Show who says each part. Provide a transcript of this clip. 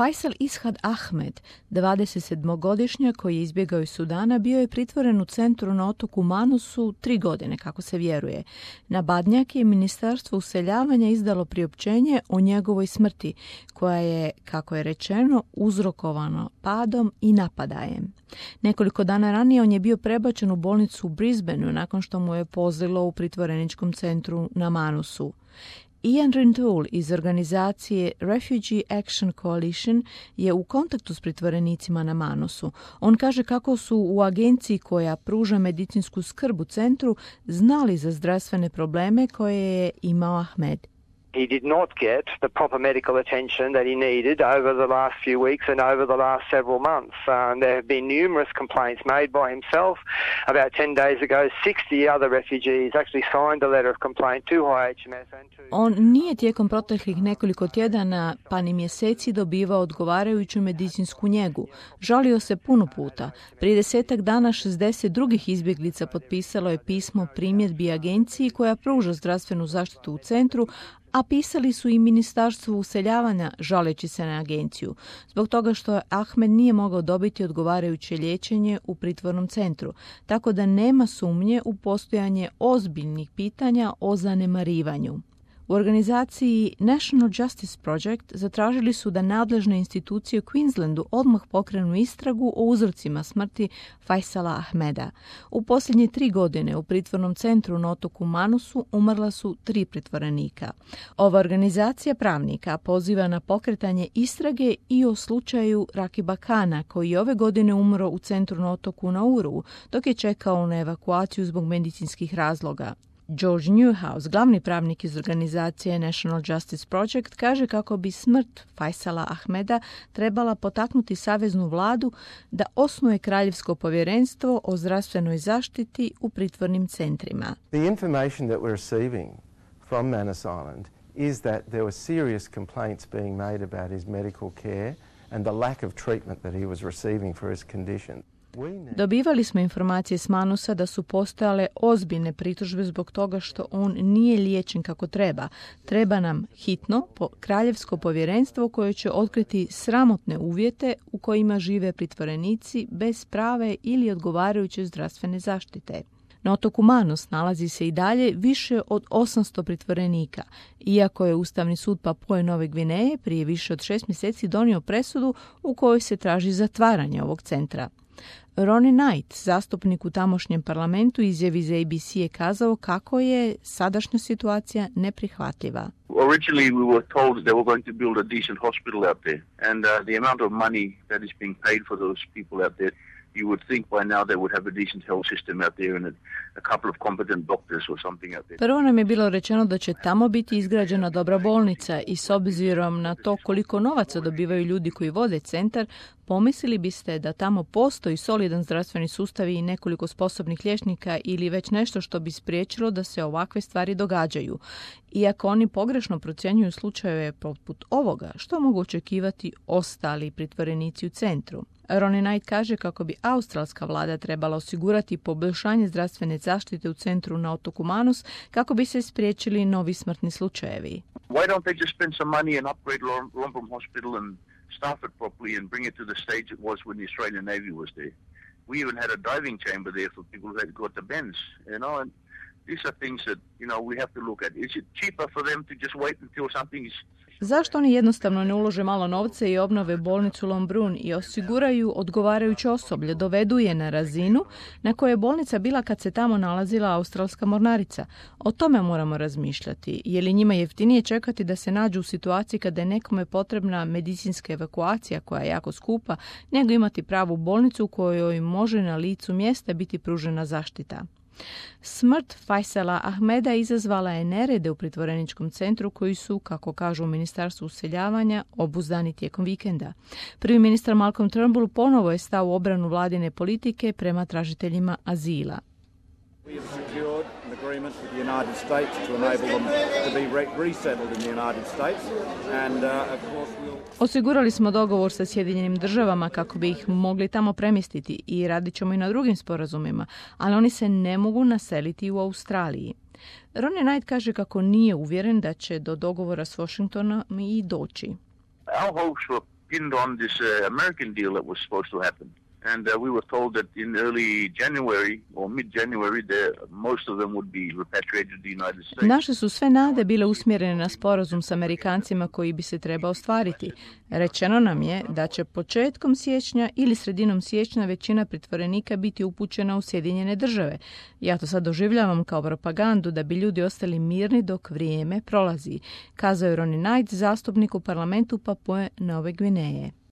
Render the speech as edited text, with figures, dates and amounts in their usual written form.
Speaker 1: Faisal Ishad Ahmed, 27-godišnjak koji je izbjegao iz Sudana, bio je pritvoren u centru na otoku Manusu 3 godine, kako se vjeruje. Na Badnjak je Ministarstvo useljavanja izdalo priopćenje o njegovoj smrti, koja je, kako je rečeno, uzrokovano padom i napadajem. Nekoliko dana ranije on je bio prebačen u bolnicu u Brisbaneu nakon što mu je pozlilo u pritvoreničkom centru na Manusu. Ian Rintoul iz organizacije Refugee Action Coalition je u kontaktu s pritvorenicima na Manusu. On kaže kako su u agenciji koja pruža medicinsku skrb u centru znali za zdravstvene probleme koje je imao Ahmed.
Speaker 2: He did not get the proper medical attention that he needed over the last few weeks and over the last several months. There have been numerous complaints made by himself. About 10 days ago, 60 other refugees actually signed a letter of complaint to HMS and to...
Speaker 1: On nije tijekom proteklih nekoliko tjedana pa ni mjeseci dobivao odgovarajuću medicinsku njegu. Žalio se puno puta. Prije 10 dana 60 drugih izbjeglica potpisalo je pismo primjedbi agenciji koja pruža zdravstvenu zaštitu u centru, a pisali su i Ministarstvu useljavanja žaleći se na agenciju, zbog toga što Ahmed nije mogao dobiti odgovarajuće liječenje u pritvornom centru, tako da nema sumnje u postojanje ozbiljnih pitanja o zanemarivanju. U organizaciji National Justice Project zatražili su da nadležne institucije u Queenslandu odmah pokrenu istragu o uzrocima smrti Faisala Ahmeda. U posljednje 3 godine u pritvornom centru na otoku Manusu umrla su 3 pritvorenika. Ova organizacija pravnika poziva na pokretanje istrage i o slučaju Rakiba Kana, koji je ove godine umro u centru na otoku Nauru, dok je čekao na evakuaciju zbog medicinskih razloga. George Newhouse, glavni pravnik iz organizacije National Justice Project, kaže kako bi smrt Faisala Ahmeda trebala potaknuti saveznu vladu da osnuje kraljevsko povjerenstvo o zdravstvenoj zaštiti u pritvornim centrima.
Speaker 3: The information that we're receiving from Manus Island is that there were serious complaints being made about his medical care and the lack of treatment that he was receiving for his condition.
Speaker 1: Dobivali smo informacije s Manusa da su postojale ozbiljne pritužbe zbog toga što on nije liječen kako treba. Treba nam hitno kraljevsko povjerenstvo koje će otkriti sramotne uvjete u kojima žive pritvorenici bez prave ili odgovarajuće zdravstvene zaštite. Na otoku Manus nalazi se i dalje više od 800 pritvorenika, iako je Ustavni sud Papue Nove Gvineje prije više od 6 mjeseci donio presudu u kojoj se traži zatvaranje ovog centra. Ronnie Knight, zastupnik u tamošnjem parlamentu, izjavi za ABC je kazao kako je sadašnja situacija neprihvatljiva.
Speaker 4: Originally we were told that they were going to build a decent hospital out there, and the amount of money that is being paid for those people out there, you would think by now they would have a decent health system out there and a couple of competent doctors or something out there.
Speaker 1: Prvo nam je bilo rečeno da će tamo biti izgrađena dobra bolnica i s obzirom na to koliko novaca dobivaju ljudi koji vode centar, pomislili biste da tamo postoji solidan zdravstveni sustav i nekoliko sposobnih liječnika ili već nešto što bi spriječilo da se ovakve stvari događaju. Iako oni pogrešno procjenjuju slučajeve poput ovoga, što mogu očekivati ostali pritvorenici u centru? Ronnie Knight kaže kako bi australska vlada trebala osigurati poboljšanje zdravstvene zaštite u centru na otoku Manus kako bi se spriječili novi smrtni slučajevi.
Speaker 4: Why don't they just spend some money and upgrade Lombrom Hospital and staff it properly and bring it to the stage it was when the Australian Navy was there? We even had a diving chamber there for people who had got the bends, and these are things that, we have to look at. Is it cheaper for them to just wait until something is...
Speaker 1: Zašto oni jednostavno ne ulože malo novca i obnove bolnicu Lombrun i osiguraju odgovarajuće osoblje, dovedu je na razinu na kojoj je bolnica bila kad se tamo nalazila australska mornarica? O tome moramo razmišljati. Je li njima jeftinije čekati da se nađu u situaciji kada je nekome potrebna medicinska evakuacija koja je jako skupa, nego imati pravu bolnicu u kojoj može na licu mjesta biti pružena zaštita? Smrt Faisala Ahmeda izazvala je nerede u pritvoreničkom centru koji su, kako kažu u Ministarstvu useljavanja, obuzdani tijekom vikenda. Prvi ministar Malcolm Turnbull ponovo je stao u obranu vladine politike prema tražiteljima azila.
Speaker 5: We have secured an agreement with the United States to enable them to be resettled in the United States, and of course we'll...
Speaker 1: Osigurali smo dogovor sa Sjedinjenim državama kako bi ih mogli tamo premjestiti i radit ćemo i na drugim sporazumima, ali oni se ne mogu naseliti u Australiji. Ronnie Knight kaže kako nije uvjeren da će do dogovora s Washingtonom i doći.
Speaker 4: Our hopes were pinned on this American deal that was supposed to happen. And we were told that in early January or mid-January, most of them would be repatriated to the United States.
Speaker 1: Naše su sve nade bile usmjerene na sporazum s Amerikancima koji bi se trebao ostvariti. Rečeno nam je da će početkom siječnja ili sredinom siječnja većina pritvorenika biti upućena u Sjedinjene Države. Ja to sad doživljavam kao propagandu da bi ljudi ostali mirni dok vrijeme prolazi, kazao je Ronnie Knight, zastupnik u parlamentu Papue Nove Gvineje.